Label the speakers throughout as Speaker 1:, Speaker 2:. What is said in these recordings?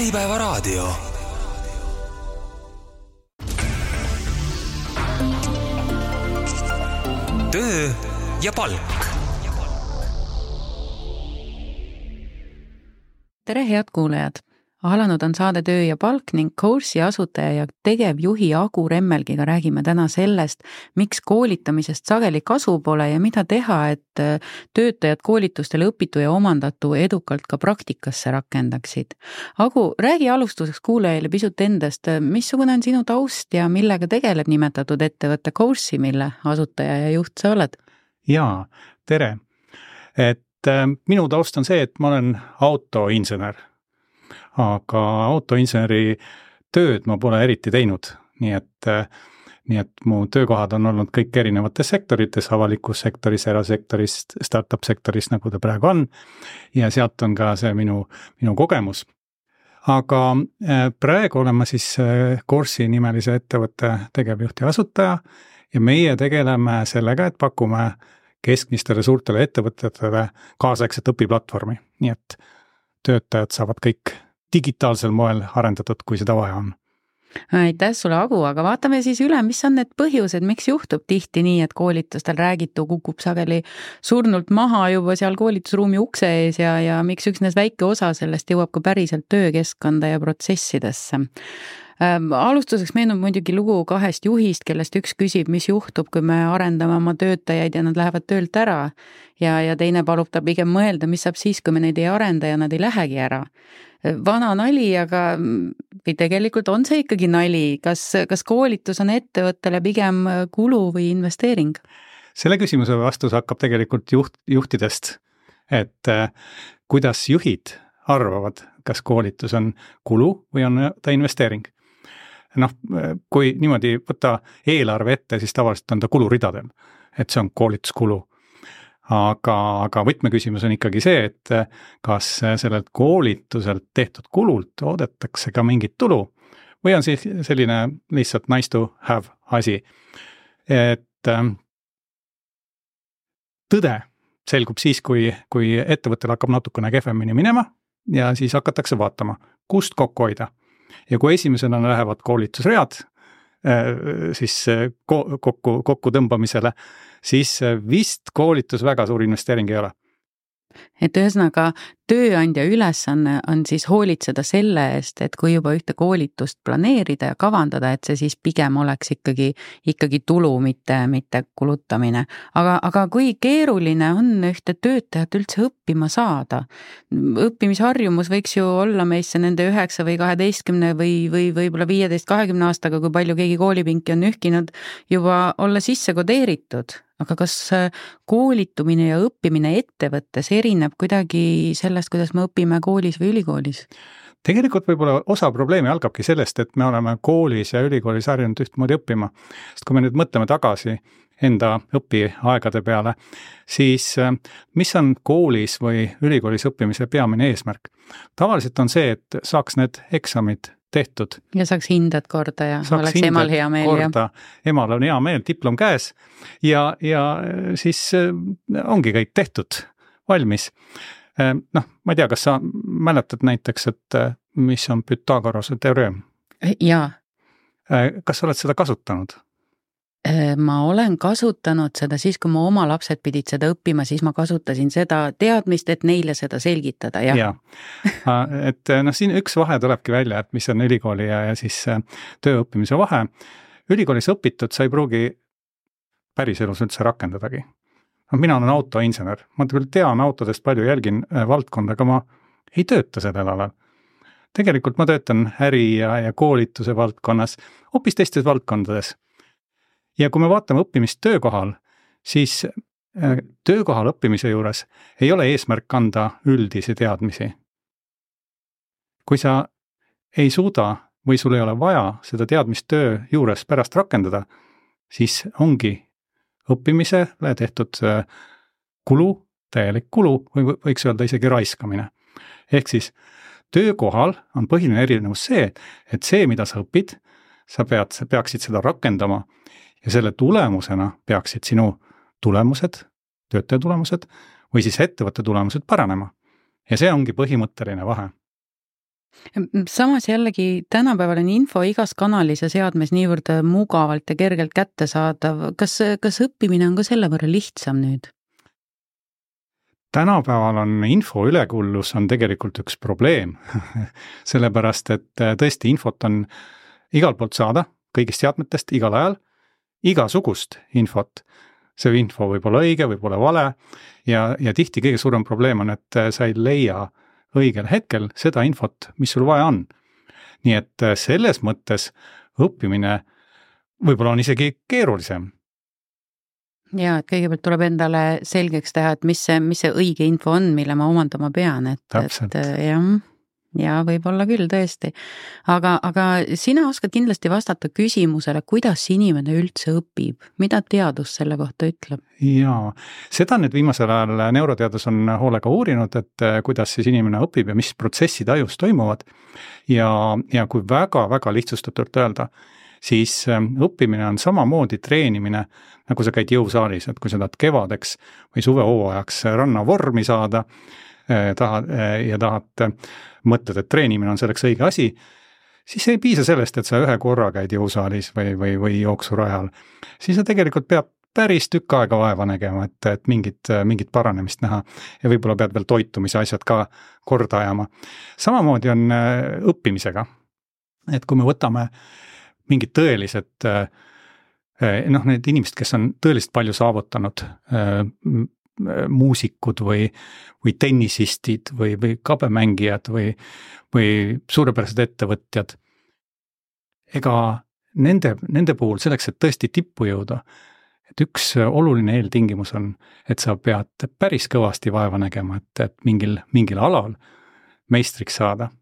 Speaker 1: Äripäevaraadio. Töö ja palk.
Speaker 2: Tere, head kuulajad! Alanud on saade Töö ja palk ning Course'i asutaja ja tegevjuhi Agu Remmelgiga räägime täna sellest, miks koolitamisest sageli kasu pole ja mida teha, et töötajad koolitustele õpitu ja omandatu edukalt ka praktikasse rakendaksid. Agu, räägi alustuseks kuulajaile pisut endast, missugune on sinu taust ja millega tegeleb nimetatud ettevõtte Course'i, mille asutaja ja juht sa oled?
Speaker 3: Jaa, tere! Minu taust on see, et ma olen autoinsener. Aga autoinseneri tööd ma pole eriti teinud, nii et mu töökohad on olnud kõik erinevates sektorites, avalikus sektoris, erasektoris, startup sektoris, nagu ta praegu on, ja sealt on ka see minu kogemus. Aga praegu olen ma siis Course'i nimelise ettevõtte tegevjuht ja asutaja ja meie tegeleme sellega, et pakume keskmistele suurtele ettevõtetele kaasaegset õpiplatvormi, nii et töötajad saavad kõik digitaalsel moel arendatud, kui seda vaja on.
Speaker 2: Aitäh sulle, Agu, aga vaatame siis üle, mis on need põhjused, miks juhtub tihti nii, et koolitustel räägitu kukub sageli surnult maha juba seal koolitusruumi ukse ees ja miks üksnes väike osa sellest jõuab ka päriselt töökeskkonda ja protsessidesse. Alustuseks meenub muidugi lugu kahest juhist, kellest üks küsib, mis juhtub, kui me arendame oma töötajaid ja nad lähevad töölt ära ja teine palub ta pigem mõelda, mis saab siis, kui me neid ei arenda ja nad ei lähegi ära. Vana nali, aga või tegelikult on see ikkagi nali. Kas koolitus on ettevõttele pigem kulu või investeering?
Speaker 3: Selle küsimuse vastus hakkab tegelikult juhtidest, et kuidas juhid arvavad, kas koolitus on kulu või on ta investeering. Kui niimoodi võtta eelarve ette, siis tavaliselt on ta kuluridadel, et see on koolituskulu. Aga võtmeküsimus on ikkagi see, et kas sellelt koolituselt tehtud kulult oodatakse ka mingit tulu või on siis selline lihtsalt nice to have asi. Et tõde selgub siis, kui ettevõttel hakkab natukene kehvemini minema ja siis hakatakse vaatama, kust kokku hoida. Ja kui esimesena lähevad koolitusread siis kokku tõmbamisele, siis vist koolitus väga suur investeering ei ole.
Speaker 2: Et ühesõnaga, tööandja ülesanne on siis hoolitseda selle eest, et kui juba ühte koolitust planeerida ja kavandada, et see siis pigem oleks ikkagi tulu, mitte kulutamine. Aga kui keeruline on ühte töötajat üldse õppima saada? Õppimisharjumus võiks ju olla meisse nende 9 või 12 või võib-olla 15-20 aastaga, kui palju keegi koolipinki on ühkinud, juba olla sisse kodeeritud. Aga kas koolitumine ja õppimine ettevõttes erineb kuidagi sellest, kuidas me õpime koolis või ülikoolis?
Speaker 3: Tegelikult võib-olla osa probleemi algabki sellest, et me oleme koolis ja ülikoolis harjunud ühtmoodi õppima. Sest kui me nüüd mõtleme tagasi enda õpiaegade peale, siis mis on koolis või ülikoolis õppimise peamine eesmärk? Tavaliselt on see, et saaks need eksamid tehtud.
Speaker 2: Ja saaks hindad korda ja oleks emal hea meel.
Speaker 3: Korda, emal on hea meel, diplom käes ja siis ongi kõik tehtud, valmis. Ma ei tea, kas sa mäletad näiteks, et mis on Pythagorase teoreem?
Speaker 2: Jaa.
Speaker 3: Kas sa oled seda kasutanud?
Speaker 2: Ma olen kasutanud seda siis, kui mu oma lapsed pidid seda õppima, siis ma kasutasin seda teadmist, et neile seda selgitada. Ja.
Speaker 3: Et siin üks vahe tulebki välja, et mis on ülikooli ja siis tööõppimise vahe. Ülikoolis õpitud sa ei pruugi päriselus üldse rakendadagi. Mina olen autoinsener, ma küll tean autodest palju, jälgin valdkonda, aga ma ei tööta sellel alal. Tegelikult ma töötan äri ja koolituse valdkonnas, hoopis teistes valdkondades. Ja kui me vaatame õppimist töökohal, siis töökohal õppimise juures ei ole eesmärk anda üldisi teadmisi. Kui sa ei suuda või sul ei ole vaja seda teadmist töö juures pärast rakendada, siis ongi õppimisele tehtud kulu, täielik kulu või võiks öelda isegi raiskamine. Ehk siis töökohal on põhiline erinevus see, et see, mida sa õpid, sa peaksid seda rakendama ja selle tulemusena peaksid sinu tulemused, töötaja tulemused või siis ettevõtte tulemused paranema. Ja see ongi põhimõtteline vahe.
Speaker 2: Samas jällegi tänapäeval on info igas kanalis ja seadmes niivõrd mugavalt ja kergelt kättesaadav. Kas õppimine on ka selle võrra lihtsam nüüd?
Speaker 3: Tänapäeval on info ülekullus on tegelikult üks probleem, sellepärast et tõesti infot on igalt poolt saada, kõigist seadmetest, igal ajal, igasugust infot. See info võib olla õige, võib olla vale ja tihti kõige suurem probleem on, et sa ei leia õigel hetkel seda infot, mis sul vaja on. Nii et selles mõttes õppimine võib-olla on isegi keerulisem.
Speaker 2: Ja, et kõigepealt tuleb endale selgeks teha, et mis see õige info on, mille ma omandama pean.
Speaker 3: Täpselt.
Speaker 2: Ja võib-olla küll tõesti. Aga sina oskad kindlasti vastata küsimusele, kuidas inimene üldse õpib? Mida teadus selle kohta ütleb?
Speaker 3: Jaa, seda nüüd viimasel ajal neuroteadus on hoolega uurinud, et kuidas siis inimene õpib ja mis protsessid ajus toimuvad. Ja kui väga-väga lihtsustatult öelda, siis õppimine on samamoodi treenimine, nagu sa käid jõusaalis, et kui sa tahad kevadeks või suvehooajaks rannavormi saada, tahad mõtled, et treenimine on selleks õige asi, siis ei piisa sellest, et sa ühe korra käid jõusaalis või jooksurajal. Siis sa tegelikult peab päris tükk aega vaeva nägema, et mingit paranemist näha ja võib-olla pead veel toitumise asjad ka korda ajama. Samamoodi on õppimisega, et kui me võtame mingid tõelised, need inimesed, kes on tõeliselt palju saavutanud, muusikud või tennisistid või kabemängijad või suurepärased ettevõtjad. Ega nende puhul selleks, et tõesti tippu jõuda, et üks oluline eeltingimus on, et sa pead päris kõvasti vaeva nägema, et mingil alal meistriks saada.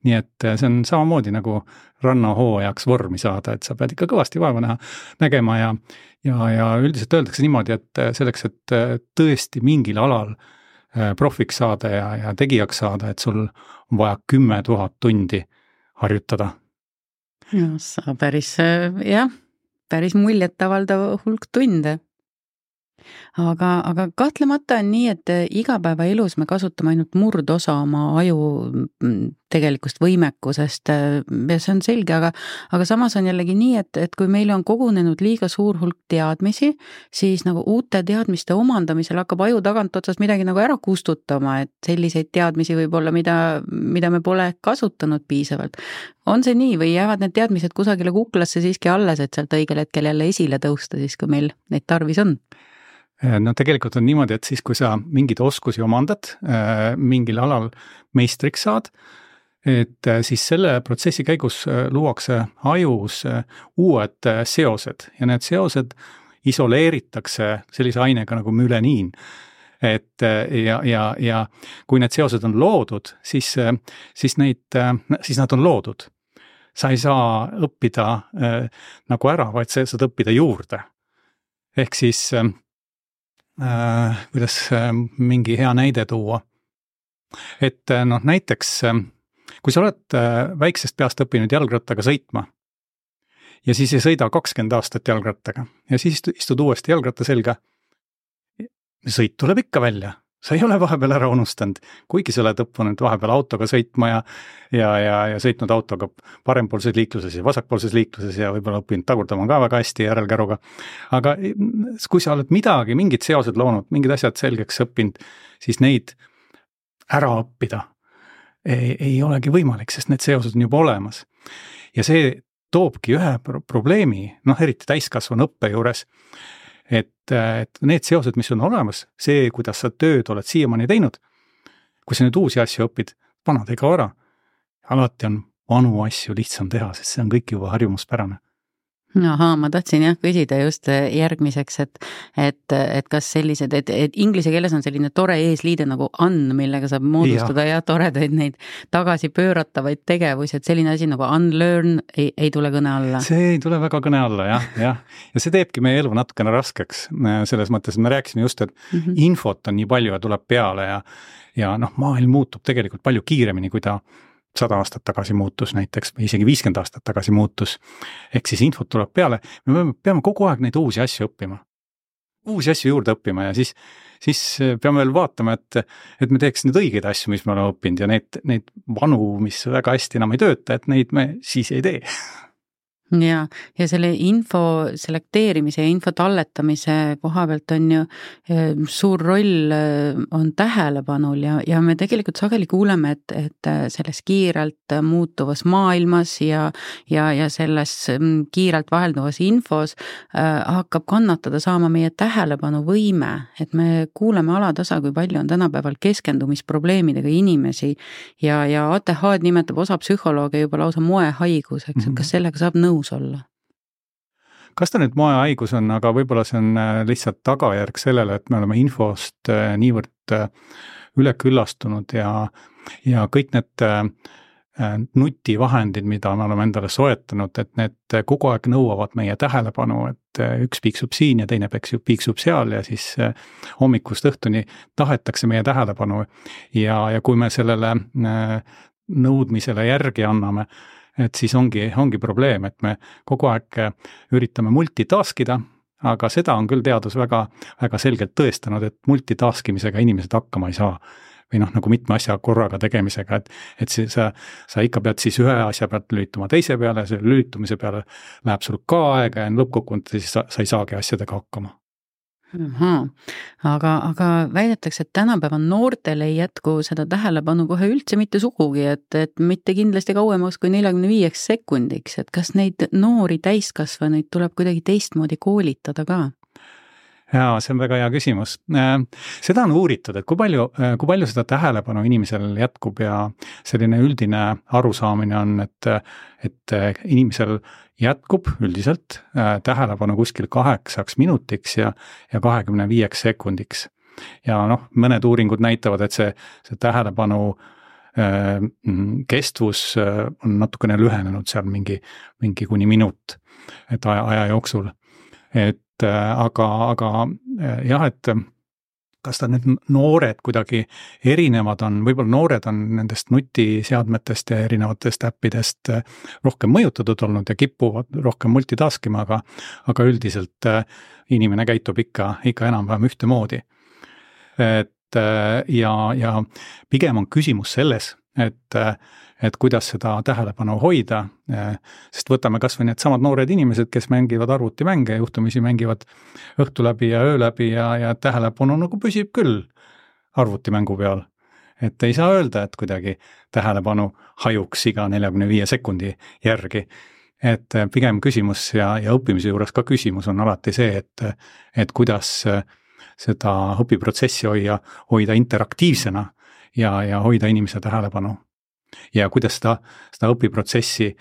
Speaker 3: Nii et see on samamoodi nagu rannahooajaks vormi saada, et sa pead ikka kõvasti vaeva nägema ja üldiselt öeldakse niimoodi, et selleks, et tõesti mingil alal profiks saada ja tegijaks saada, et sul on vaja 10 000 tundi harjutada.
Speaker 2: Ja, sa päris muljetavaldav hulk tunde. Aga kahtlemata on nii, et igapäevaelus me kasutame ainult murdosa oma aju tegelikust võimekusest ja see on selge, aga samas on jällegi nii, et kui meil on kogunenud liiga suur hulk teadmisi, siis nagu uute teadmiste omandamisel hakkab aju tagant otsast midagi nagu ära kustutama, et selliseid teadmisi võib olla, mida me pole kasutanud piisavalt. On see nii või jäävad need teadmised kusagile kuklasse siiski alles, et sealt õigel hetkel jälle esile tõusta siis, kui meil neid tarvis on?
Speaker 3: No tegelikult on niimoodi, et siis kui sa mingid oskusi omandad, mingil alal meistriks saad, et siis selle protsessi käigus luuakse ajus uued seosed ja need seosed isoleeritakse sellise ainega nagu müleniin. Ja kui need seosed on loodud, siis nad on loodud. Sa ei saa õppida nagu ära, vaid sa saad õppida juurde. Ehk siis kuidas mingi hea näide tuua. Et näiteks, kui sa oled väiksest peast õppinud jalgrattaga sõitma ja siis ei sõida 20 aastat jalgrattaga ja siis istud uuesti jalgratta selga, sõit tuleb ikka välja. Sa ei ole vahepeal ära unustanud, kuigi sa oled õppunud vahepeal autoga sõitma ja sõitnud autoga parempoolses liikluses ja vasakpoolses liikluses ja võib-olla õppinud tagurdama ka väga hästi järelkäruga. Aga kui sa oled mingid seosed loonud, mingid asjad selgeks õppinud, siis neid ära õppida ei olegi võimalik, sest need seosed on juba olemas. Ja see toobki ühe probleemi, eriti täiskasvanu õppe juures, et need seosed, mis on olemas, see, kuidas sa tööd oled siiamaani teinud, kui sa nüüd uusi asju õpid, vanad ei kao ära. Alati on vanu asju lihtsam teha, sest see on kõik juba harjumuspärane.
Speaker 2: Ahaa, ma tahtsin küsida just järgmiseks, et kas sellised, et inglise keeles on selline tore eesliide nagu millega saab moodustada ja toredaid neid tagasi pööratavaid tegevusi, et selline asi nagu unlearn ei tule kõne alla. See
Speaker 3: ei tule väga kõne alla, jah. Ja see teebki meie elu natukene raskeks selles mõttes, et me rääkisime just, et infot on nii palju ja tuleb peale ja maailm muutub tegelikult palju kiiremini, kui ta 100 aastat tagasi muutus näiteks või isegi 50 aastat tagasi muutus. Ehk siis infot tuleb peale. Me peame kogu aeg neid uusi asju õppima. uusi asju juurde õppima ja siis peame veel vaatama, et me teeks neid õigeid asju, mis me oleme õppinud ja neid vanu, mis väga hästi enam ei tööta, et neid me siis ei tee.
Speaker 2: ja selle info selekteerimise ja info talletamise koha pealt on ju suur roll on tähelepanul ja me tegelikult sageli kuuleme, et selles kiirelt muutuvas maailmas ja selles kiirelt vahelduvas infos hakkab kannatada saama meie tähelepanuvõime, et me kuuleme alatasa, kui palju on tänapäeval keskendumisprobleemidega inimesi ja ATH-d nimetab osa psühholooge juba lausa moehaiguseks, et kas sellega saab nõus olla?
Speaker 3: Kas ta nüüd moehaigus on, aga võib-olla see on lihtsalt tagajärg sellele, et me oleme infost niivõrd üleküllastunud ja kõik need nutivahendid, mida me oleme endale soetanud, et need kogu aeg nõuavad meie tähelepanu, et üks piiksub siin ja teine piiksub seal ja siis hommikust õhtuni tahetakse meie tähelepanu ja kui me sellele nõudmisele järgi anname, et siis ongi probleem, et me kogu aeg üritame multitaskida, aga seda on küll teadus väga, väga selgelt tõestanud, et multitaskimisega inimesed hakkama ei saa. Või nagu mitme asja korraga tegemisega, et sa ikka pead siis ühe asja pealt lülituma teise peale, selle lülitumise peale läheb sul ka aega ja lõppkokkuvõttes siis sa ei saagi asjadega hakkama.
Speaker 2: Aga väidetakse, et tänapäeva noortel ei jätku seda tähelepanu kohe üldse mitte sugugi, et mitte kindlasti kauemaks kui 45 sekundiks, et kas neid noori täiskasvanuid tuleb kuidagi teistmoodi koolitada ka?
Speaker 3: Jaa, see on väga hea küsimus. Seda on uuritud, et kui palju seda tähelepanu inimesel jätkub ja selline üldine arusaamine on, et inimesel jätkub üldiselt tähelepanu kuskil 8 minutiks ja 25 sekundiks. Ja mõned uuringud näitavad, et see tähelepanu kestvus on natukene lühenenud seal mingi kuni minut, et aja jooksul. Aga jah, et kas ta nüüd noored kuidagi erinevad on, võib-olla noored on nendest nutiseadmetest ja erinevatest äppidest rohkem mõjutatud olnud ja kipuvad rohkem multitaskima, aga üldiselt inimene käitub ikka enam-vähem ühtemoodi. Ja pigem on küsimus selles, et kuidas seda tähelepanu hoida, sest võtame kas või need samad noored inimesed, kes mängivad arvutimänge, juhtumisi mängivad õhtu läbi ja öö läbi ja tähelepanu nagu püsib küll arvutimängu peal. Et ei saa öelda, et kuidagi tähelepanu hajuks iga 45 sekundi järgi. Et pigem küsimus ja õppimise juures ka küsimus on alati see, et kuidas seda õpiprotsessi hoida interaktiivsena ja hoida inimese tähelepanu. Ja kuidas seda õpiprotsessi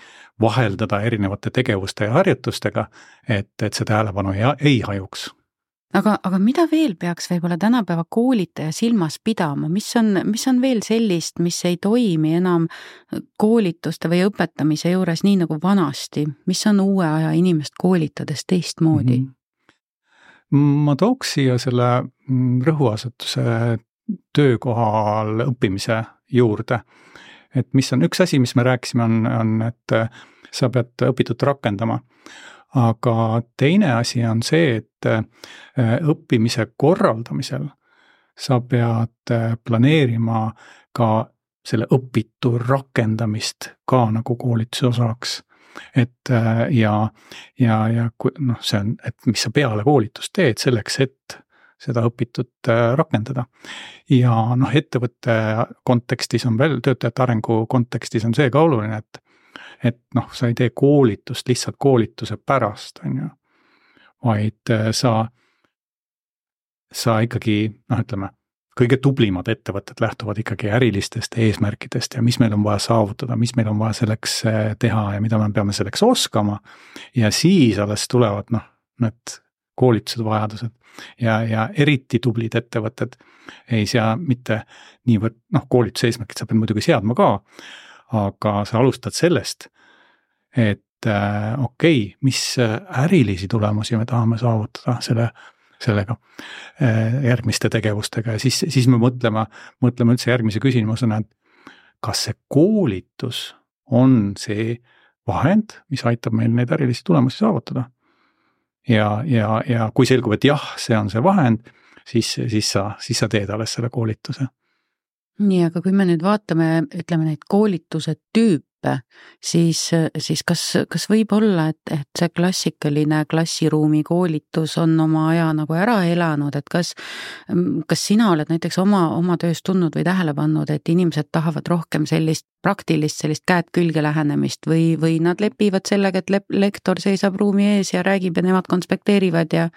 Speaker 3: vaheldada erinevate tegevuste ja harjutustega, et see tähelepanu ei hajuks.
Speaker 2: Aga mida veel peaks võib-olla tänapäeva koolitaja silmas pidama? Mis on veel sellist, mis ei toimi enam koolituste või õpetamise juures nii nagu vanasti? Mis on uue aja inimest koolitades teistmoodi?
Speaker 3: Ma tooks siia selle rõhuasetuse töökohal õppimise juurde. Et mis on üks asi, mis me rääkisime, on, et sa pead õpitut rakendama. Aga teine asi on see, et õppimise korraldamisel sa pead planeerima ka selle õpitu rakendamist ka nagu koolituse osaks. Et ja see on, et mis sa peale koolitust teed selleks, et seda õpitut rakendada. Ja ettevõtte kontekstis on veel, töötajate arengu kontekstis on see ka oluline, et sa ei tee koolitust lihtsalt koolituse pärast, vaid sa ikkagi, ütleme, kõige tublimad ettevõtted lähtuvad ikkagi ärilistest eesmärkidest ja mis meil on vaja saavutada, mis meil on vaja selleks teha ja mida me peame selleks oskama. Ja siis alles tulevad need koolitused, vajadused ja eriti tublid ettevõtted ei sea mitte niivõrd, koolituse eesmärkid sa pead muidugi seadma ka, aga sa alustad sellest, et mis ärilisi tulemusi me tahame saavutada sellega järgmiste tegevustega ja siis me mõtleme üldse järgmise küsimusena, et kas see koolitus on see vahend, mis aitab meil neid ärilisi tulemusi saavutada. ja kui selgub, et jah, see on see vahend, siis sa teed alles selle koolituse.
Speaker 2: Nii, aga kui me nüüd vaatame, ütleme neid koolituse tüüpe, siis kas võib olla, et see klassikaline klassiruumi koolitus on oma aja nagu ära elanud, et kas sina oled näiteks oma töös tundnud või tähele pannud, et inimesed tahavad rohkem sellist praktilist, sellist käed külge lähenemist või nad lepivad sellega, et lektor seisab ruumi ees ja räägib ja nemad konspekteerivad ja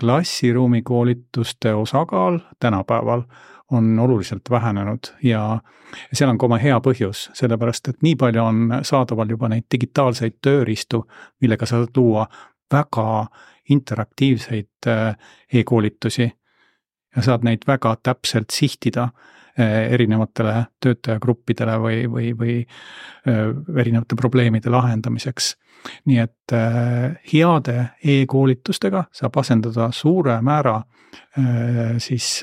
Speaker 3: klassiruumi koolituste osakaal tänapäeval on oluliselt vähenenud ja seal on ka oma hea põhjus, sellepärast et nii palju on saadaval juba neid digitaalseid tööriistu, millega saad luua väga interaktiivseid e-koolitusi ja saad neid väga täpselt sihtida erinevatele töötajagruppidele või erinevate probleemide lahendamiseks. Nii et heade e-koolitustega saab asendada suure määra siis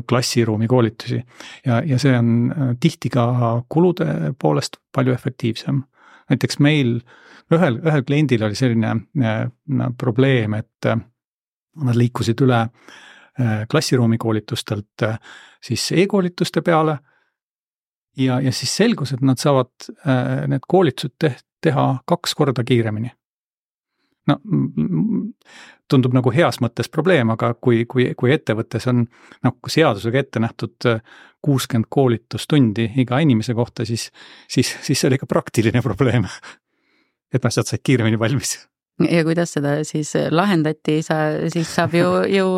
Speaker 3: klassiruumi koolitusi ja see on tihti ka kulude poolest palju efektiivsem. Näiteks meil ühel kliendil oli selline probleem, et nad liikusid üle klassiruumi koolitustelt siis e-koolituste peale ja siis selgus, et nad saavad need koolitused teha 2 korda kiiremini. No, tundub nagu heas mõttes probleem, aga kui ettevõttes on seadusega ette nähtud 60 koolitustundi iga inimese kohta, siis see oli ka praktiline probleem, et nad said kiiremini valmis.
Speaker 2: Ja kuidas seda siis lahendati, siis saab ju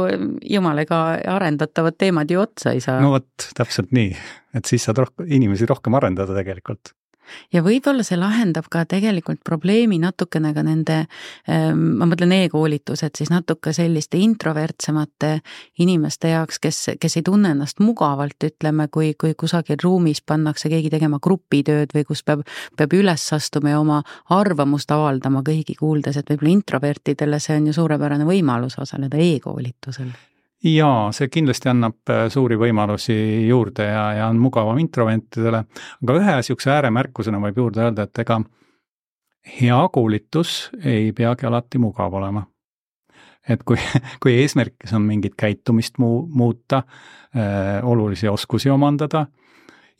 Speaker 2: jumalega arendatavad teemad ju otsa ei saa.
Speaker 3: No vot, täpselt nii, et siis saad inimesi rohkem arendada tegelikult.
Speaker 2: Ja võib-olla see lahendab ka tegelikult probleemi natukene ka nende, ma mõtlen e-koolitused, siis natuke selliste introvertsemate inimeste jaoks, kes ei tunne ennast mugavalt, ütleme, kui kusagil ruumis pannakse keegi tegema grupitööd või kus peab üles astuma ja oma arvamust avaldama kõigi kuuldes, et võib-olla introvertidele see on ju suurepärane võimalus osaleda e-koolitusel.
Speaker 3: Jaa, see kindlasti annab suuri võimalusi juurde ja on mugavam introvertidele, aga ühe siukse ääremärkusena võib juurde öelda, et ega hea koolitus ei peagi alati mugav olema. Et kui eesmärkis on mingit käitumist muuta, olulisi oskusi omandada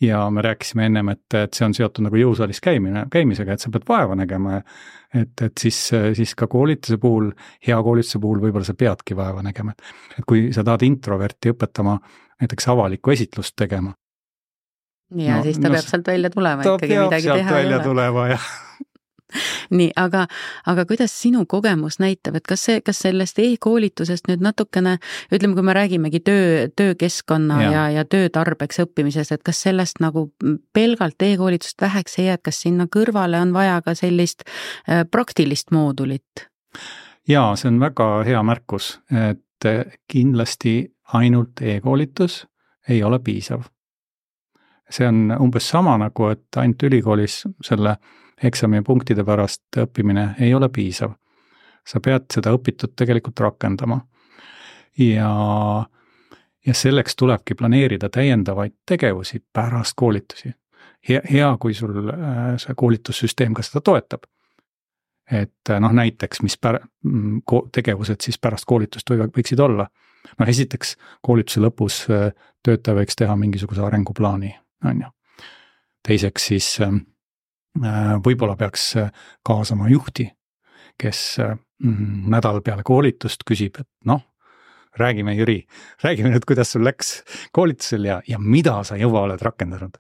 Speaker 3: ja me rääkisime ennem, et see on seotud nagu jõusaalis käimisega, et sa pead vaeva nägema, et siis ka koolituse puhul, hea koolituse puhul võib-olla sa peadki vaeva nägema. Et kui sa tahad introverti õpetama näiteks avalikku esitlust tegema.
Speaker 2: Ja siis ta peab sealt välja tulema ikkagi midagi teha. Ta peab sealt välja
Speaker 3: tulema, jah.
Speaker 2: Nii, aga kuidas sinu kogemus näitab, et kas sellest e-koolitusest nüüd natukene, ütleme, kui me räägimegi töökeskkonna ja töötarbeks õppimisest, et kas sellest nagu pelgalt e-koolitust väheks ei jää, et kas sinna kõrvale on vaja ka sellist praktilist moodulit?
Speaker 3: Jaa, see on väga hea märkus, et kindlasti ainult e-koolitus ei ole piisav. See on umbes sama nagu, et ainult ülikoolis selle eksami punktide pärast õppimine ei ole piisav. Sa pead seda õpitut tegelikult rakendama. Ja selleks tulebki planeerida täiendavaid tegevusi pärast koolitusi. Hea, kui sul see koolitussüsteem ka seda toetab. Et näiteks, mis tegevused siis pärast koolitust võiksid olla. Esiteks koolituse lõpus töötaja võiks teha mingisuguse arenguplaani. Teiseks siis võib-olla peaks kaasama juhti, kes nädal peale koolitust küsib, et räägime Jüri, räägime nüüd, kuidas sul läks koolitusel ja mida sa juba oled rakendanud.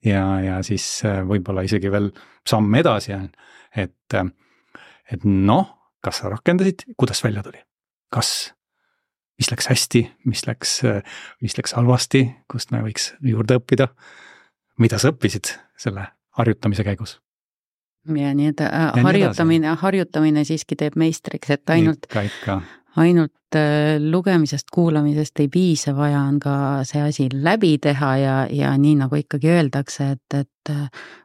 Speaker 3: Ja siis võib-olla isegi veel samm edasi, et kas sa rakendasid, kuidas välja tuli? Mis läks hästi, mis läks halvasti, kust me võiks juurde õppida, mida sa õppisid selle harjutamise käigus.
Speaker 2: Ja nii, et harjutamine siiski teeb meistriks, et ainult lugemisest, kuulamisest ei piisa, vaja on ka see asi läbi teha ja nii nagu ikkagi öeldakse, et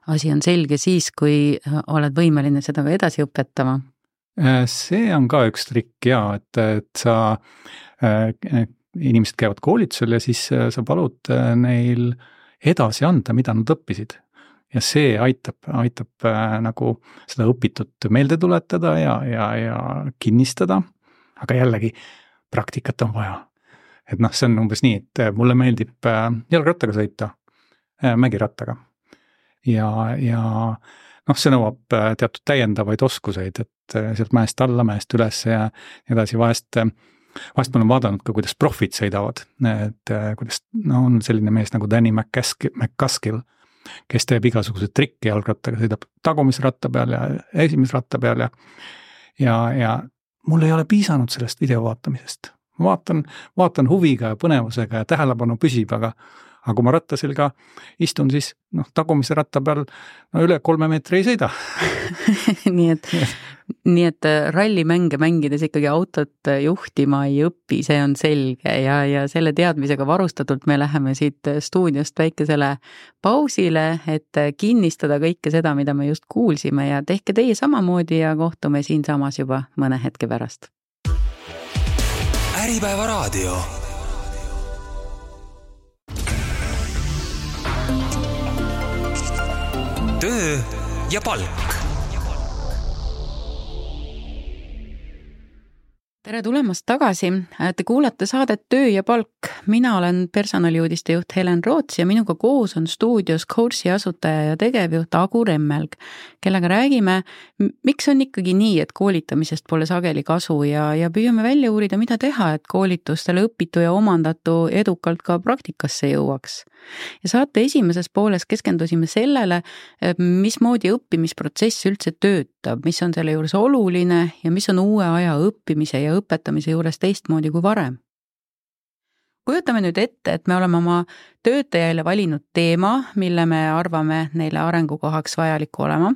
Speaker 2: asi on selge siis, kui oled võimeline seda ka edasi õpetama.
Speaker 3: See on ka üks trikk et sa inimesed käivad koolitusel ja siis sa palud neil edasi anda, mida nad õppisid. ja see aitab nagu seda õpitut meelde tuletada ja kinnistada, aga jällegi praktikat on vaja. Et noh, see on umbes nii, et mulle meeldib jalgrattaga sõita, mägirattaga ja noh, see nõuab teatud täiendavaid oskuseid, et sealt mäest alla, mäest üles ja nii edasi. Vahest ma olen vaadanud ka, kuidas profid sõidavad, et kuidas on selline mees nagu Danny McCaskill, kes teeb igasugused trikki jalgrattaga, sõidab tagumisratta peal ja esimisratta peal ja mul ei ole piisanud sellest video vaatamisest. Ma vaatan huviga ja põnevusega ja tähelepanu püsib, aga kui ma rattaselga istun, siis tagumise ratta peal üle 3 meetri ei sõida.
Speaker 2: nii et rallimänge mängides ikkagi autot juhtima ei õpi, see on selge ja selle teadmisega varustatult me läheme siit stuudiost väikesele pausile, et kinnistada kõike seda, mida me just kuulsime ja tehke teie samamoodi ja kohtume siinsamas juba mõne hetke pärast.
Speaker 1: Äripäeva raadio. Töö ja palk.
Speaker 2: Tere tulemast tagasi. Te kuulate saadet Töö ja palk. Mina olen personaliuudiste juht Helen Roots ja minuga koos on stuudios Coursi asutaja ja tegevjuht Agu Remmelg, kellega räägime, miks on ikkagi nii, et koolitamisest pole sageli kasu ja püüame välja uurida, mida teha, et koolitustele õpitu ja omandatu edukalt ka praktikasse jõuaks. Ja saate esimeses pooles keskendusime sellele, mismoodi õppimisprotsess üldse töötab, mis on selle juures oluline ja mis on uue aja õppimise ja õpetamise juures teistmoodi kui varem. Kujutame nüüd ette, et me oleme oma töötajaile valinud teema, mille me arvame neile arengukohaks vajalik olema.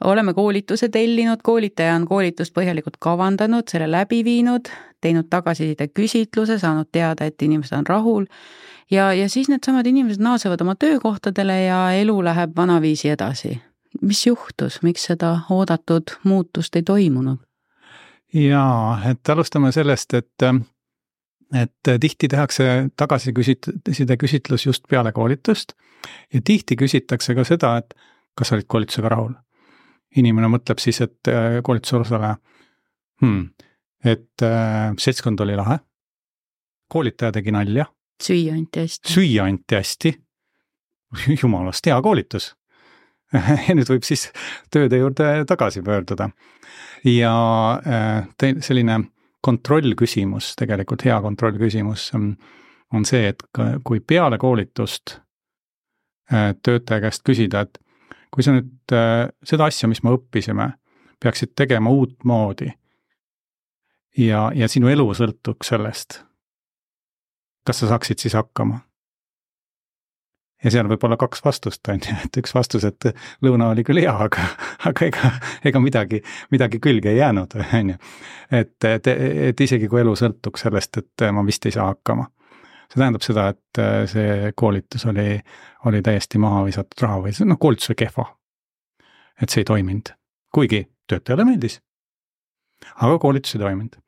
Speaker 2: Oleme koolituse tellinud, koolitaja on koolitust põhjalikult kavandanud, selle läbi viinud, teinud tagasiside küsitluse, saanud teada, et inimesed on rahul ja siis need samad inimesed naasevad oma töökohtadele ja elu läheb vanaviisi edasi. Mis juhtus, miks seda oodatud muutust ei toimunud?
Speaker 3: Jaa, et alustame sellest, et tihti tehakse tagasiside küsitlus just peale koolitust ja tihti küsitakse ka seda, et kas olid koolitusega rahul. Inimene mõtleb siis, et koolituse osaleja, et seltskond oli lahe, koolitaja tegi nalja,
Speaker 2: süüa
Speaker 3: anti hästi, jumalast hea koolitus. Ja nüüd võib siis tööde juurde tagasi pöörduda. Ja selline kontrollküsimus, tegelikult hea kontrollküsimus on see, et kui peale koolitust töötaja käest küsida, et kui sa nüüd seda asja, mis me õppisime, peaksid tegema uut moodi ja sinu elu sõltuks sellest, kas sa saaksid siis hakkama? Ja seal võib olla 2 vastust, et üks vastus, et lõuna oli küll hea, aga ega midagi külge ei jäänud, et isegi kui elu sõltuks sellest, et ma vist ei saa hakkama. See tähendab seda, et see koolitus oli täiesti maha visatud raha või koolitus oli kehva, et see ei toiminud, kuigi töötajale meeldis, aga koolitus ei toiminud.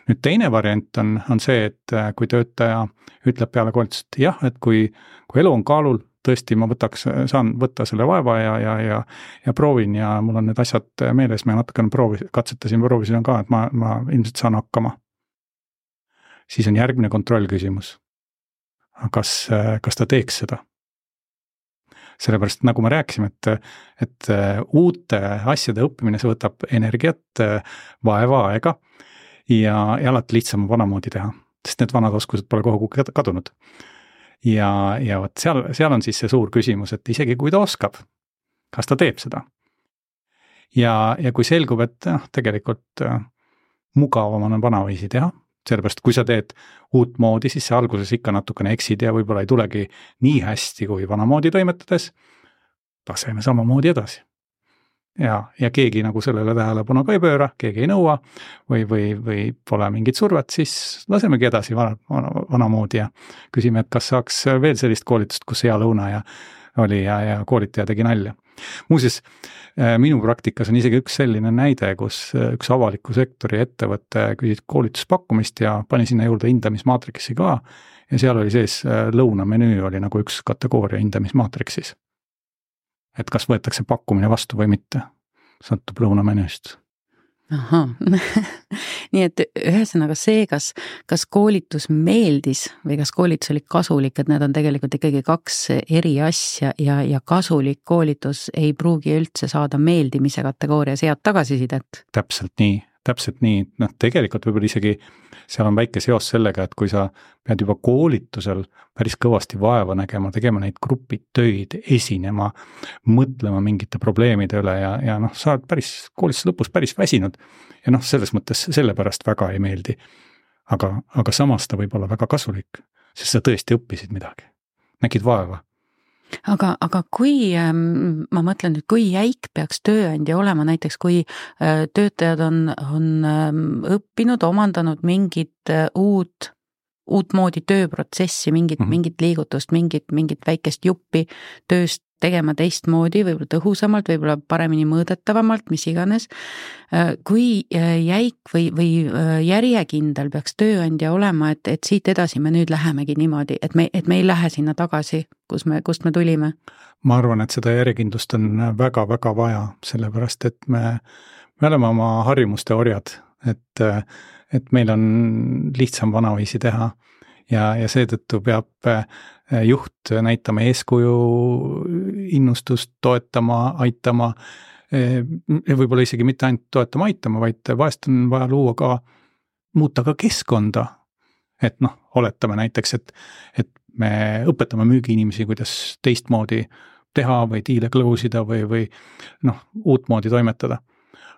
Speaker 3: Nüüd teine variant on see, et kui töötaja ütleb peale koolitust, jah, et kui elu on kaalul, tõesti ma saan võtta selle vaeva ja proovin ja mul on need asjad meeles, ma natukene proovisin ka, et ma ilmselt saan hakkama. Siis on järgmine kontrollküsimus. Kas ta teeks seda? Sellepärast, nagu me rääkisime, et uute asjade õppimine, see võtab energiat, vaeva, aega ja alati lihtsam vanamoodi teha, sest need vanad oskused pole kogu kadunud. Ja võt seal on siis see suur küsimus, et isegi kui ta oskab, kas ta teeb seda? Ja kui selgub, et tegelikult mugavam on vanaviisi teha, sellepärast kui sa teed uut moodi, siis see alguses ikka natukene eksid ja võib-olla ei tulegi nii hästi kui vanamoodi toimetades, laseme samamoodi edasi. Ja keegi nagu sellele tähelepanu ka ei pööra, keegi ei nõua või pole mingit survet, siis lasemegi edasi vanamoodi ja küsime, et kas saaks veel sellist koolitust, kus hea lõuna ja koolitaja tegi nalja. Muuseas, minu praktikas on isegi üks selline näide, kus üks avaliku sektori ettevõte küsis koolituspakkumist ja pani sinna juurde hindamismaatriksi ka ja seal oli sees lõunamenüü oli nagu üks kategooria hindamismaatriksis. et kas võetakse pakkumine vastu või mitte, sõltub lõunamenüüst.
Speaker 2: Ahah. Nii et ühesõnaga see, kas koolitus meeldis või kas koolitus oli kasulik, et need on tegelikult ikkagi 2 eri asja ja kasulik koolitus ei pruugi üldse saada meeldimise kategoorias head tagasisidet.
Speaker 3: Täpselt nii, tegelikult võib-olla isegi seal on väike seos sellega, et kui sa pead juba koolitusel päris kõvasti vaeva nägema, tegema neid grupitöid, esinema, mõtlema mingite probleemide üle ja sa oled koolituse lõpus päris väsinud ja selles mõttes sellepärast väga ei meeldi. Aga samas ta võib olla väga kasulik, sest sa tõesti õppisid midagi, nägid vaeva.
Speaker 2: Aga kui, ma mõtlen nüüd, kui jäik peaks tööandja olema, näiteks kui töötajad on õppinud, omandanud mingit uut moodi tööprotsessi, mingit liigutust, mingit väikest juppi tööst tegema teistmoodi, võib-olla tõhusamalt, võib-olla paremini mõõdetavamalt, mis iganes. Kui jäik või järjekindel peaks tööandja olema, et siit edasi me nüüd lähemegi niimoodi, et me ei lähe sinna tagasi, kust me tulime?
Speaker 3: Ma arvan, et seda järjekindlust on väga-väga vaja, sellepärast et me oleme oma harjumuste orjad, et meil on lihtsam vanaviisi teha ja seetõttu peab juht näitama eeskuju, innustust, toetama, aitama, võib-olla isegi mitte ainult toetama, aitama, vaid vahest on vaja muuta ka keskkonda. Et oletame näiteks, et me õpetame müügiinimesi, kuidas teistmoodi teha või diile close'ida või uutmoodi toimetada.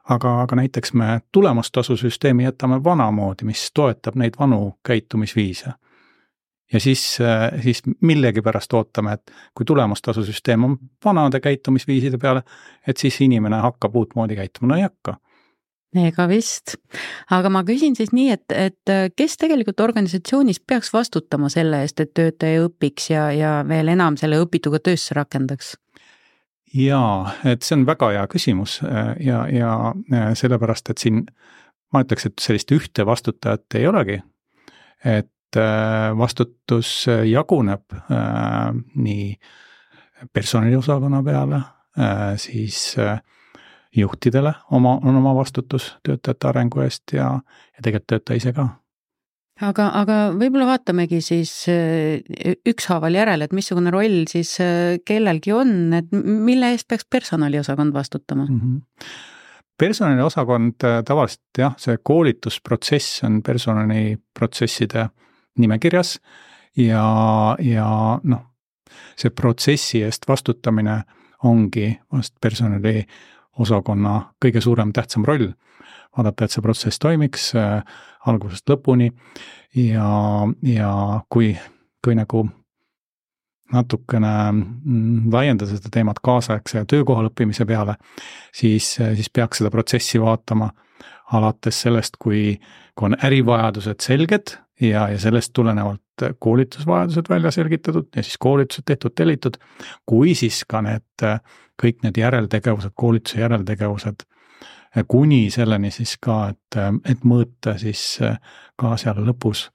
Speaker 3: Aga näiteks me tulemustasusüsteemi jätame vanamoodi, mis toetab neid vanu käitumisviise. Ja siis millegipärast ootame, et kui tulemustasusüsteem on vanade käitumisviiside peale, et siis inimene hakkab uutmoodi käituma, ei hakka.
Speaker 2: Ega vist. Aga ma küsin siis nii, et kes tegelikult organisatsioonis peaks vastutama selle eest, et töötaja õpiks ja veel enam selle õpituga töösse rakendaks?
Speaker 3: Jaa, et see on väga hea küsimus ja sellepärast, et siin ma ütleks, et sellist ühte vastutajat ei olegi, et vastutus jaguneb nii personaliosakonna peale, siis juhtidele on oma vastutus töötajate arengu eest ja tegelikult töötaja ise ka.
Speaker 2: Aga võib-olla vaatamegi siis ükshaaval järele, et missugune roll siis kellelgi on, et mille eest peaks personaliosakond vastutama?
Speaker 3: Personaliosakond tavaliselt see koolitusprotsess on personaliprotsesside nimekirjas ja see protsessi eest vastutamine ongi vast personaliosakonna kõige suurem tähtsam roll. Vaadata, et see protsess toimiks algusest lõpuni ja kui nagu natukene laiendada seda teemat kaasaegse ja töökohal õppimise peale, siis peaks seda protsessi vaatama alates sellest, kui on ärivajadused selged ja sellest tulenevalt koolitusvajadused välja selgitatud ja siis koolitused tehtud, tellitud, kui siis ka kõik need järeltegevused, koolituse järeltegevused, kuni selleni siis ka, et mõõta siis ka seal lõpus,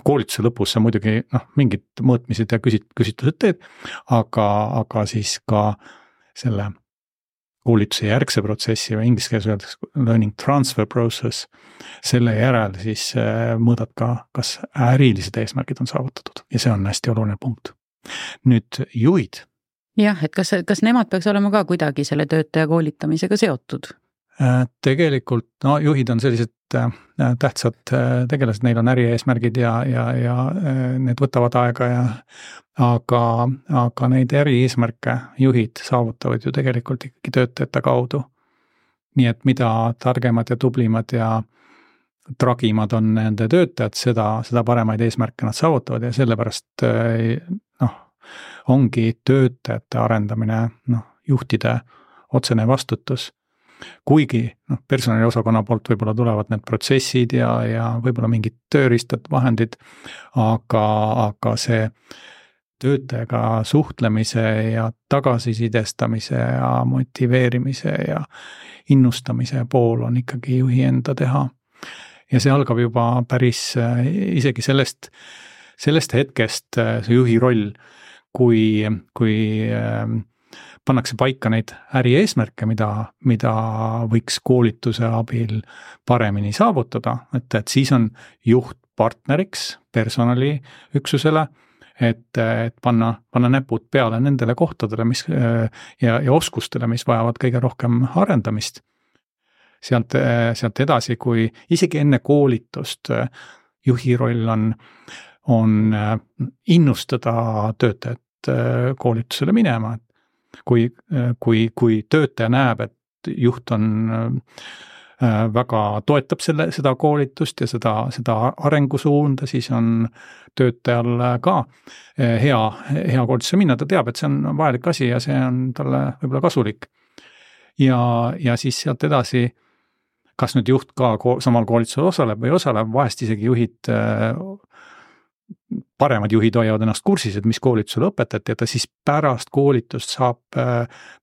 Speaker 3: koolituse lõpus sa muidugi mingid mõõtmised ja küsitlused teed, aga siis ka selle koolituse järgse protsessi või inglise keeles öeldakse learning transfer process, selle järel siis mõõdad ka, kas ärilised eesmärgid on saavutatud ja see on hästi oluline punkt. Nüüd juhid.
Speaker 2: Jah, et kas nemad peaks olema ka kuidagi selle töötaja koolitamisega seotud?
Speaker 3: Tegelikult juhid on sellised tähtsad tegelased, neil on ärieesmärgid ja need võtavad aega aga neid ärieesmärke juhid saavutavad ju tegelikult ikkagi töötajate kaudu. Nii et mida targemad ja tublimad ja tragimad on nende töötajad, seda paremaid eesmärke nad saavutavad ja sellepärast ongi töötajate arendamine juhtide otsene vastutus. Kuigi personaliosakonna poolt võib-olla tulevad need protsessid ja võib-olla mingid tööriistad, vahendid, aga see töötajaga suhtlemise ja tagasisidestamise ja motiveerimise ja innustamise pool on ikkagi juhi enda teha. Ja see algab juba päris isegi sellest hetkest see juhi roll, kui pannakse paika neid ärieesmärke, mida võiks koolituse abil paremini saavutada, et siis on juht partneriks personaliüksusele, et panna näpud peale nendele kohtadele, ja oskustele, mis vajavad kõige rohkem arendamist. Sealt edasi, kui isegi enne koolitust juhi roll on innustada töötajat koolitusele minema. Kui töötaja näeb, et juht on väga toetab seda koolitust ja seda arengusuunda, siis on töötajal ka hea koolitusele minna, ta teab, et see on vajalik asi ja see on talle võib-olla kasulik. Ja siis sealt edasi, kas nüüd juht ka samal koolitusel osaleb või osaleb, vahest isegi paremad juhid hoiavad ennast kursis, et mis koolitusele õpetati, et ta siis pärast koolitust saab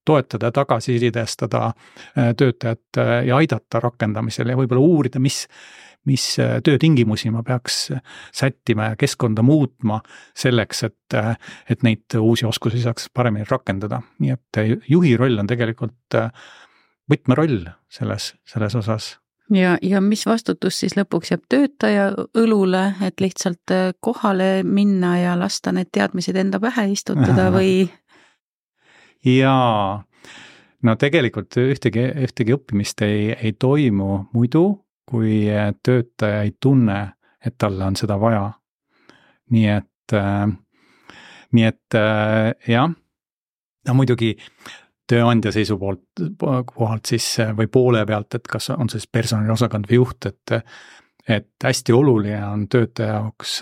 Speaker 3: toetada, tagasisidestada töötajat ja aidata rakendamisel ja võib-olla uurida, mis töötingimusi ma peaks sättima ja keskkonda muutma selleks, et neid uusi oskusi saaks paremini rakendada. Nii et juhi roll on tegelikult võtmeroll selles osas.
Speaker 2: Ja mis vastutus siis lõpuks jääb töötaja õlule, et lihtsalt kohale minna ja lasta need teadmised enda pähe istutada või?
Speaker 3: Jaa, no tegelikult ühtegi õppimist ei toimu muidu, kui töötaja ei tunne, et talle on seda vaja. Nii et jah, no muidugi tööandja seisukohalt siis või poole pealt, et kas on siis personaliosakond või juht, et hästi oluline on töötaja jaoks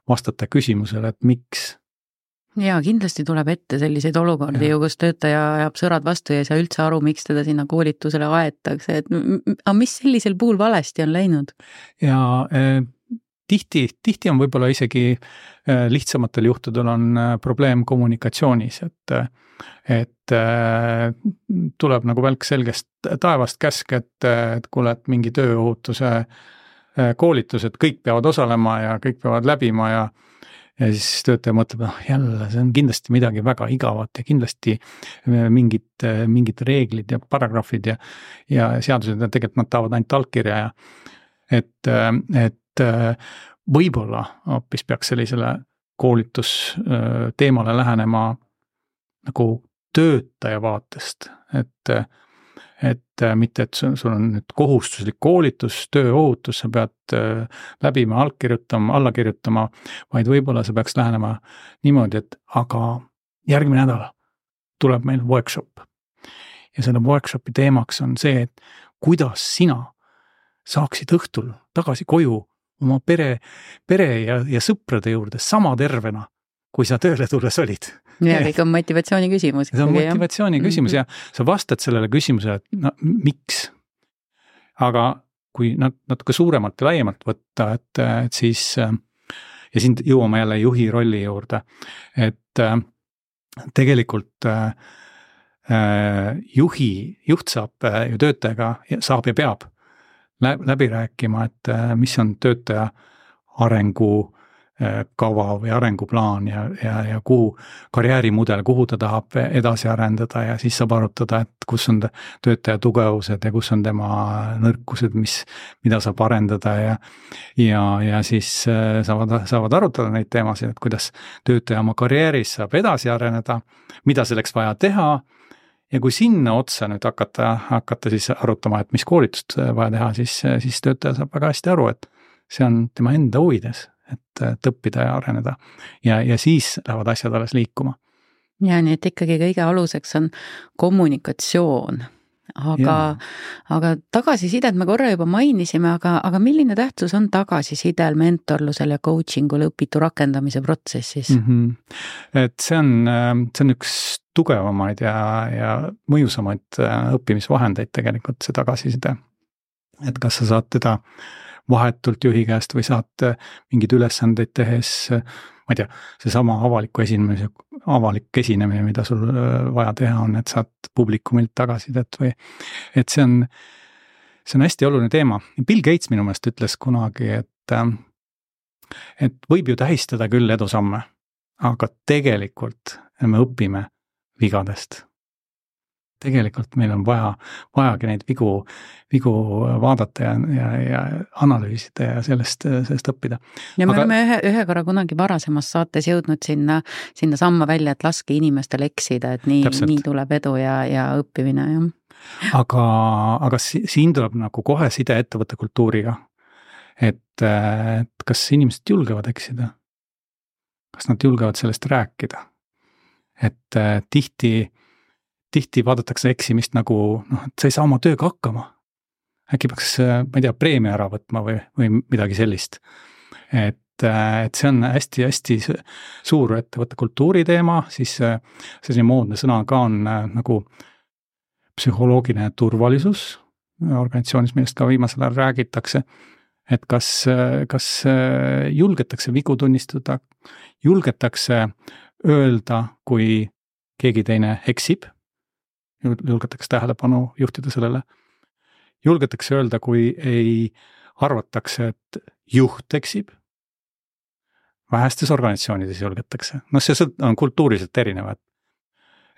Speaker 3: vastata küsimusele, et miks.
Speaker 2: Ja kindlasti tuleb ette selliseid olukordi ju, kus töötaja ajab sõrad vastu ja ei saa üldse aru, miks teda sinna koolitusele aetakse, et mis sellisel puhul valesti on läinud? Ja
Speaker 3: tihti on võib-olla isegi lihtsamatel juhtudel on probleem kommunikatsioonis, et tuleb nagu välk selgest taevast käsk, et kuule, et mingi tööohutuse koolitus, et kõik peavad osalema ja kõik peavad läbima ja siis töötaja mõtleb, jälle, see on kindlasti midagi väga igavat ja kindlasti mingid reeglid ja paragrahvid ja seadused ja tegelikult nad tahavad ainult allkirja ja et võib-olla hoopis peaks sellisele koolitusteemale lähenema nagu töötaja vaatest, et mitte, et sul on nüüd kohustuslik koolitus, tööohutus, sa pead läbima, alla kirjutama, vaid võib-olla sa peaks lähenema niimoodi, et aga järgmine nädal tuleb meil workshop. Ja selle workshopi teemaks on see, et kuidas sina saaksid õhtul tagasi koju oma pere ja sõprade juurde sama tervena, kui sa tööle tulles olid.
Speaker 2: Ja kõik on motivatsiooni küsimus.
Speaker 3: See on motivatsiooni küsimus ja sa vastad sellele küsimusele, et no, miks? Aga kui natuke suuremalt ja laiemalt võtta, et siis, ja siin jõuame jälle juhi rolli juurde, et tegelikult juht saab ju töötajaga, saab ja peab läbi rääkima, et mis on töötaja arengukava või arenguplaan ja kuhu karjäärimudel, kuhu ta tahab edasi arendada ja siis saab arutada, et kus on töötaja tugevused ja kus on tema nõrkused, mida saab arendada ja siis saavad arutada neid teemasid, et kuidas töötaja oma karjääris saab edasi areneda, mida selleks vaja teha. Ja kui sinna otsa nüüd hakata siis arutama, et mis koolitust vaja teha, siis töötaja saab väga hästi aru, et see on tema enda huvides, et õppida ja areneda ja siis lähevad asjad alles liikuma.
Speaker 2: Ja nii, et ikkagi kõige aluseks on kommunikatsioon, aga tagasisidet me korra juba mainisime, aga milline tähtsus on tagasisidel, mentorlusel ja coachingul õpitu rakendamise protsessis?
Speaker 3: Et see on üks tugevamaid ja mõjusamaid õppimisvahendeid tegelikult, see tagasiside. Et kas sa saad teda vahetult juhi käest või saad mingid ülesandeid tehes, ma ei tea, see sama avalik esinemine, mida sul vaja teha on, et saad publikumilt tagasisidet või, et see on hästi oluline teema. Bill Gates minu meelest ütles kunagi, et võib ju tähistada küll edusamme, aga tegelikult me õpime vigadest. tegelikult meil on vajagi neid vigu vaadata ja analüüsida ja sellest õppida.
Speaker 2: Ja me oleme ühe korra kunagi varasemas saates jõudnud sinna samma välja, et laske inimestel eksida, et nii tuleb edu ja õppimine. Ja.
Speaker 3: Aga siin tuleb nagu kohe side ettevõtte kultuuriga, et kas inimesed julgevad eksida? Kas nad julgevad sellest rääkida? Et tihti vaadatakse eksimist nagu, et sa ei saa oma tööga hakkama. Äkki peaks, ma ei tea, preemia ära võtma või midagi sellist. Et see on hästi suur ettevõtte kultuuri teema, siis selline moodne sõna ka on nagu psühholoogiline turvalisus organisatsioonis, millest ka viimasel ajal räägitakse. Et kas julgetakse vigu tunnistada, julgetakse öelda, kui keegi teine eksib, julgetakse tähelepanu juhtida sellele, julgetakse öelda, kui ei arvatakse, et juht eksib, vähestes organisatsioonides julgetakse. See on kultuuriliselt erinevad.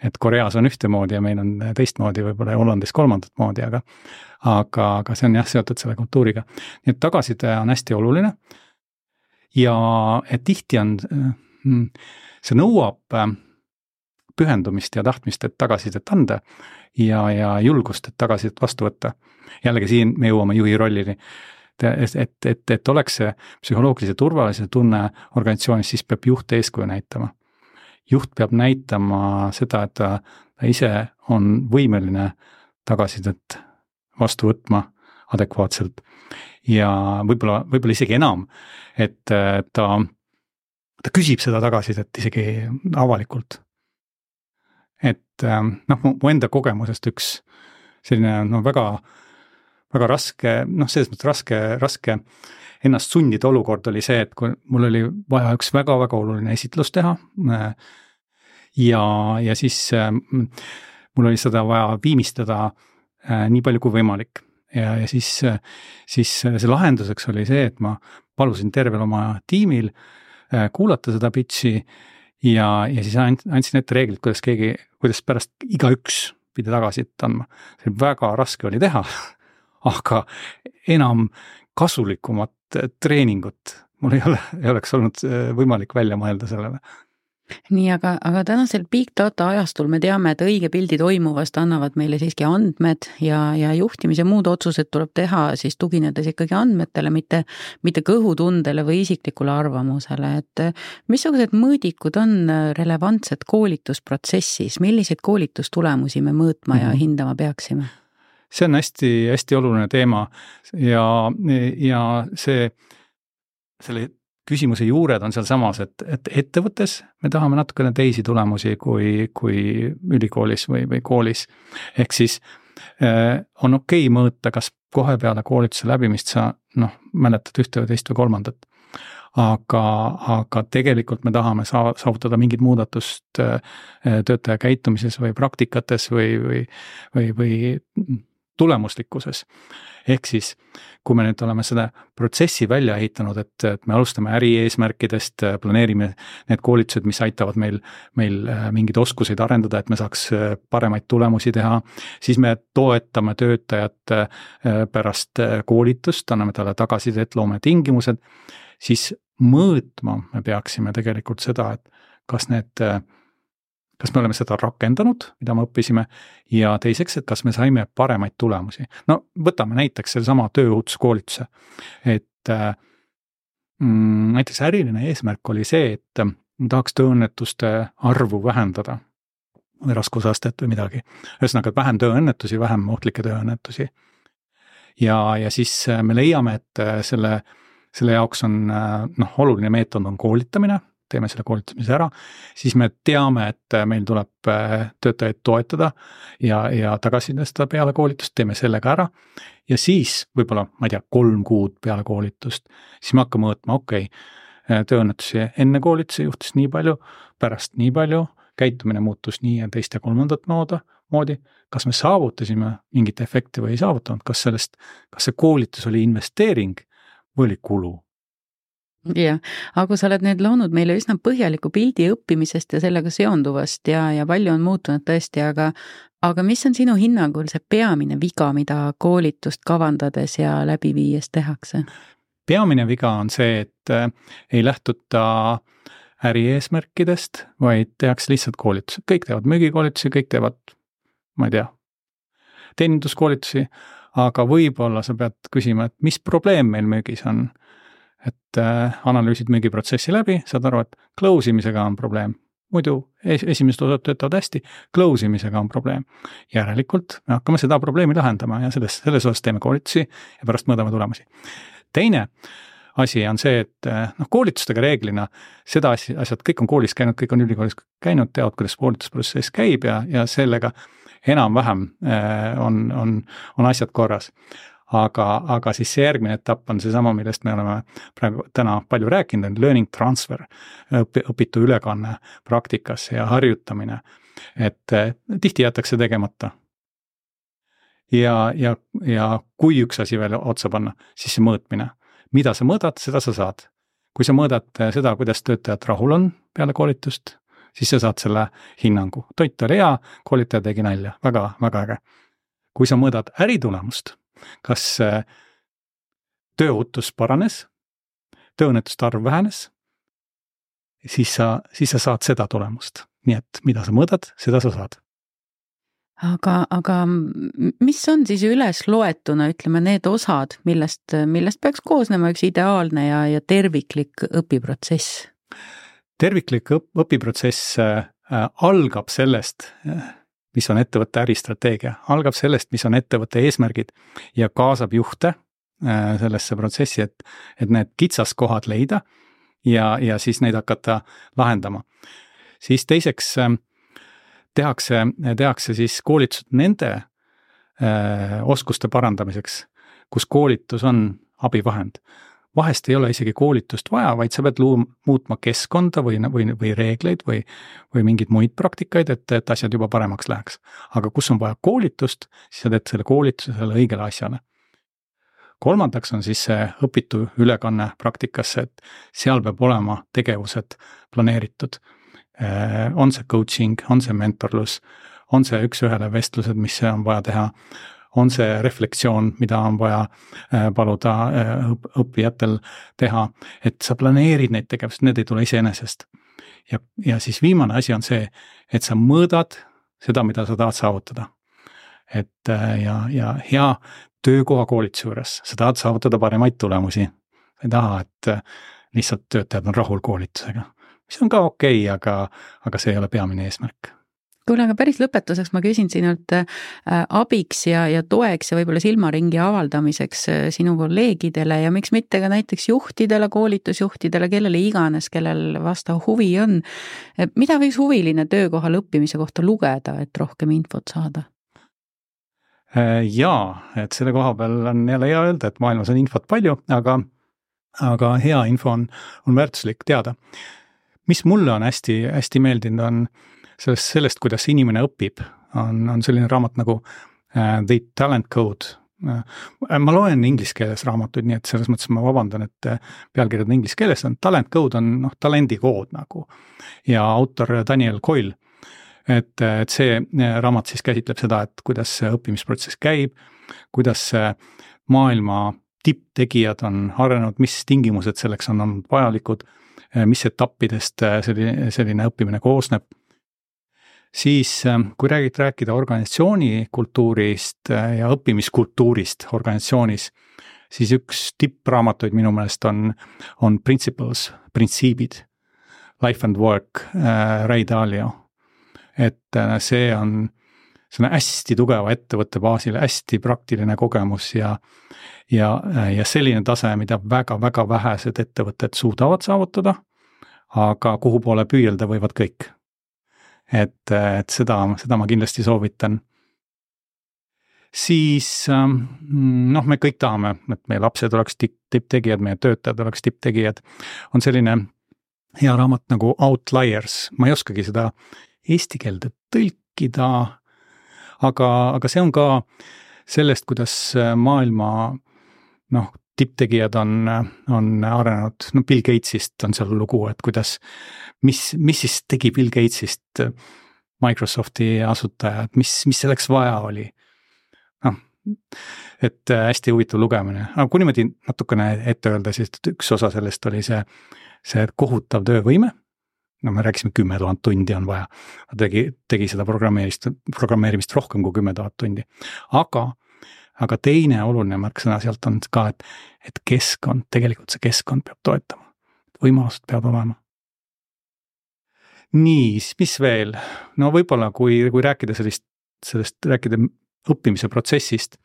Speaker 3: Et Koreas on ühtemoodi ja meil on teistmoodi, võib-olla Hollandis kolmandat moodi, aga see on seotud selle kultuuriga. Nii et tagasiside on hästi oluline ja tihti on, see nõuab pühendumist ja tahtmist, et tagasisidet anda ja julgust, et tagasisidet vastu võtta. Jällegi siin me jõuame juhi rollini, et oleks see psühholoogilise turvalise tunne organisatsioonis, siis peab juht eeskuju näitama. Juht peab näitama seda, et ta ise on võimeline tagasisidet vastu võtma adekvaatselt ja võib-olla isegi enam, et ta küsib seda tagasisidet isegi avalikult. Et mu enda kogemusest üks selline väga raske, selles mõttes raske ennast sundida olukord oli see, et kui mul oli vaja üks väga oluline esitlus teha ja siis mul oli seda vaja viimistada nii palju kui võimalik ja siis see lahenduseks oli see, et ma palusin tervel oma tiimil kuulata seda pitchi ja siis andsin ette reeglid, kuidas pärast igaüks pidi tagasi andma. See väga raske oli teha, aga enam kasulikumat treeningut mul ei oleks olnud võimalik välja mõelda sellele.
Speaker 2: Nii, aga tänasel big data ajastul me teame, et õige pildi toimuvast annavad meile siiski andmed ja juhtimise muud otsused tuleb teha siis tuginedes ikkagi andmetele, mitte kõhutundele või isiklikule arvamusele, et missugused mõõdikud on relevantsed koolitusprotsessis, milliseid koolitustulemusi me mõõtma ja hindama peaksime?
Speaker 3: See on hästi oluline teema ja selle küsimuse juured on seal samas, et ettevõttes me tahame natukene teisi tulemusi kui ülikoolis või koolis. Ehk siis on okei mõõta, kas kohe peale koolituse läbimist sa mäletad ühte või teist või kolmandat. Aga tegelikult me tahame saavutada mingit muudatust töötaja käitumises või praktikates või tulemuslikkuses. Ehk siis, kui me nüüd oleme seda protsessi välja ehitanud, et me alustame äri eesmärkidest, planeerime need koolitused, mis aitavad meil mingeid oskuseid arendada, et me saaks paremaid tulemusi teha, siis me toetame töötajat pärast koolitust, anname talle tagasisidet, loome tingimused, siis mõõtma me peaksime tegelikult seda, et kas me oleme seda rakendanud, mida me õppisime, ja teiseks, et kas me saime paremaid tulemusi. Võtame näiteks selle sama tööohutuskoolituse, et näiteks äriline eesmärk oli see, et tahaks tööõnnetuste arvu vähendada või raskusastet või midagi. Ühesõnaga, vähem tööõnnetusi, vähem ohtlikke tööõnnetusi. Ja siis me leiame, et selle jaoks on oluline meetod on koolitamine, teeme selle koolitamise ära, siis me teame, et meil tuleb töötajaid toetada ja tagasisidestada peale koolitust, teeme sellega ära ja siis võib-olla, 3 kuud peale koolitust, siis me hakkame mõõtma, tööõnnetusi enne koolitusi juhtus nii palju, pärast nii palju, käitumine muutus nii ja teist ja kolmandat moodi, kas me saavutasime mingit efekti või ei saavutanud, kas see koolitus oli investeering või oli kulu?
Speaker 2: Jah, aga sa oled nüüd loonud meile üsna põhjaliku pildi õppimisest ja sellega seonduvast ja palju on muutunud tõesti, aga aga mis on sinu hinnangul see peamine viga, mida koolitust kavandades ja läbi viies tehakse?
Speaker 3: Peamine viga on see, et ei lähtuta ärieesmärkidest, vaid tehakse lihtsalt koolitusi. Kõik teevad müügikoolitusi, kõik teevad, ma ei tea, teeninduskoolitusi, aga võib-olla sa pead küsima, et mis probleem meil müügis on. Et analüüsid müügiprotsessi läbi, saad aru, et close imisega on probleem. Muidu esimesed osad töötavad hästi, close imisega on probleem. Järelikult me hakkame seda probleemi lahendama ja selles osas teeme koolitusi ja pärast mõõdame tulemusi. Teine asi on see, et koolitustega reeglina seda asjad, kõik on koolis käinud, kõik on ülikoolis käinud, teavad, kuidas koolitusprotsess käib ja sellega enam-vähem on asjad korras. Aga siis see järgmine etapp on seesama, millest me oleme praegu täna palju rääkinud, on learning transfer, õpitu ülekanne praktikasse ja harjutamine, et tihti jätakse tegemata. Ja kui üks asi veel otsa panna, siis see mõõtmine. Mida sa mõõdad, seda sa saad. Kui sa mõõdad seda, kuidas töötajad rahul on peale koolitust, siis sa saad selle hinnangu. Toit oli hea, koolitaja tegi nalja, väga, väga äge. Kui sa mõõdad äritulemust, kas tööohutus paranes, tööõnnetuste arv vähenes, siis sa saad seda tulemust. Nii et mida sa mõõdad, seda sa saad.
Speaker 2: Aga mis on siis üles loetuna, ütleme, need osad, millest peaks koosnema üks ideaalne ja terviklik õpiprotsess?
Speaker 3: Terviklik õpiprotsess algab sellest, mis on ettevõtte äristrateegia, algab sellest, mis on ettevõtte eesmärgid ja kaasab juhte sellesse protsessi, et need kitsaskohad leida ja siis neid hakata lahendama. Siis teiseks tehakse siis koolitused nende oskuste parandamiseks, kus koolitus on abivahend. Vahest ei ole isegi koolitust vaja, vaid sa pead muutma keskkonda või reegleid või mingeid muid praktikaid, et asjad juba paremaks läheks. Aga kus on vaja koolitust, siis sa teed selle koolituse selle õigele asjale. Kolmandaks on siis see õpitu ülekanne praktikasse, et seal peab olema tegevused planeeritud. On see coaching, on see mentorlus, on see üks-ühele vestlused, mis on vaja teha, on see reflektsioon, mida on vaja paluda õppijatel teha, et sa planeerid neid tegevusi, need ei tule iseenesest. Ja siis viimane asi on see, et sa mõõdad seda, mida sa tahad saavutada. Et ja hea töökoha koolituse juures, sa tahad saavutada paremaid tulemusi. Ei taha, et lihtsalt töötajad on rahul koolitusega. Mis on ka okei, aga see ei ole peamine eesmärk.
Speaker 2: Kuule, aga päris lõpetuseks ma küsin sinult abiks ja toeks ja võib-olla silmaringi avaldamiseks sinu kolleegidele ja miks mitte ka näiteks juhtidele, koolitusjuhtidele, kellele iganes, kellel vastav huvi on. Mida võiks huviline töökohal õppimise kohta lugeda, et rohkem infot saada?
Speaker 3: Jaa, et selle koha peal on jälle hea öelda, et maailmas on infot palju, aga hea info on väärtuslik teada. Mis mulle on hästi meeldinud on sellest, kuidas inimene õpib, on selline raamat nagu The Talent Code. Ma loen inglise keeles raamatuid, nii et selles mõttes ma vabandan, et pealkirjad on inglise keeles, Talent Code on talendikood nagu ja autor Daniel Coyle. Et see raamat siis käsitleb seda, et kuidas see õppimisprotsess käib, kuidas maailma tipptegijad on arenenud, mis tingimused selleks on olnud vajalikud, mis etappidest selline õppimine koosneb. Siis kui rääkida organisatsiooni kultuurist ja õppimiskultuurist organisatsioonis, siis üks tippraamatuid minu meelest on Principles, printsiibid, Life and Work, Ray Dalio. Et see on hästi tugeva ettevõtte baasil, hästi praktiline kogemus ja selline tase, mida väga-väga vähesed ettevõtted suudavad saavutada, aga kuhu poole püüelda võivad kõik. Et seda ma kindlasti soovitan. Siis me kõik tahame, et meie lapsed oleks tipptegijad, meie töötajad oleks tipptegijad. On selline hea raamat nagu Outliers, ma ei oskagi seda eesti keelde tõlkida, aga see on ka sellest, kuidas maailma tipptegijad on arenenud, Bill Gatesist on seal lugu, et kuidas, mis siis tegi Bill Gatesist Microsofti asutaja, et mis selleks vaja oli. Noh, et hästi huvitav lugemine, aga kui niimoodi natukene ette öelda, siis üks osa sellest oli see kohutav töövõime. No me rääkisime 10 000 tundi on vaja, tegi seda programmeerimist rohkem kui 10 000 tundi. Aga teine oluline märksõna sealt on ka, et keskkond, tegelikult see keskkond peab toetama, võimalused peavad olema. Nii, mis veel? No võib-olla kui rääkida sellest rääkida õppimise protsessist,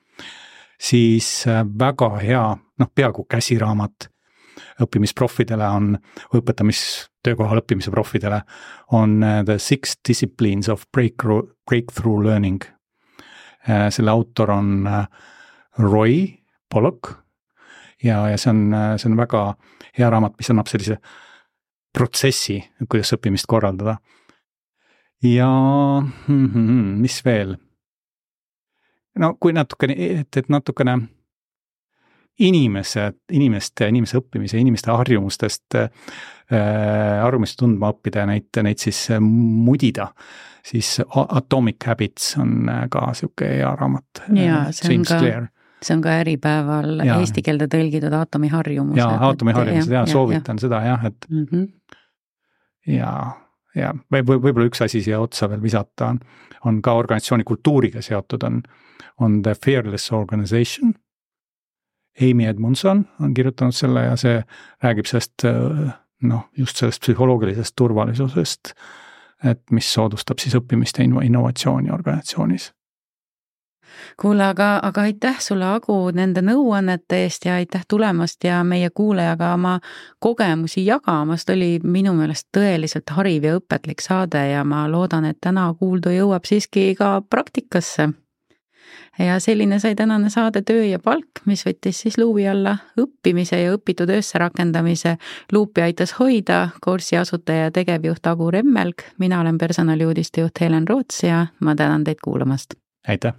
Speaker 3: siis väga hea, peaaegu käsiraamat õppimisproffidele on, õpetamistöökohal õppimise proffidele on The 6 Disciplines of Breakthrough Learning. Selle autor on Roy Pollock ja see on väga hea raamat, mis annab sellise protsessi, kuidas õppimist korraldada. Ja mis veel? No kui natukene inimese õppimise, inimeste harjumustest tundma õppida ja neid siis mudida, siis Atomic Habits on ka siuke hea raamat.
Speaker 2: Ja, see on ka Äripäeval eesti keelde tõlgitud aatomiharjumused.
Speaker 3: Ja aatomiharjumused, soovitan seda jah, et ja võib-olla üks asi siia otsa veel visata on ka organisatsiooni kultuuriga seotud, on The Fearless Organization. Amy Edmondson on kirjutanud selle ja see räägib sellest, just sellest psühholoogilisest turvalisusest, et mis soodustab siis õppimist ja innovatsiooni organisatsioonis.
Speaker 2: Kuule, aga aitäh sulle, Agu, nende nõuannete eest ja aitäh tulemast ja meie kuulajaga oma kogemusi jagamast. Oli minu meelest tõeliselt hariv ja õpetlik saade ja ma loodan, et täna kuuldu jõuab siiski ka praktikasse. Ja selline sai tänane saade Töö ja palk, mis võttis siis luubi alla õppimise ja õpitu töösse rakendamise. Luupi aitas hoida kursi asutaja ja tegevjuht Agu Remmelg. Mina olen personaliuudistejuht Helen Roots ja ma tänan teid kuulamast.
Speaker 3: Aitäh!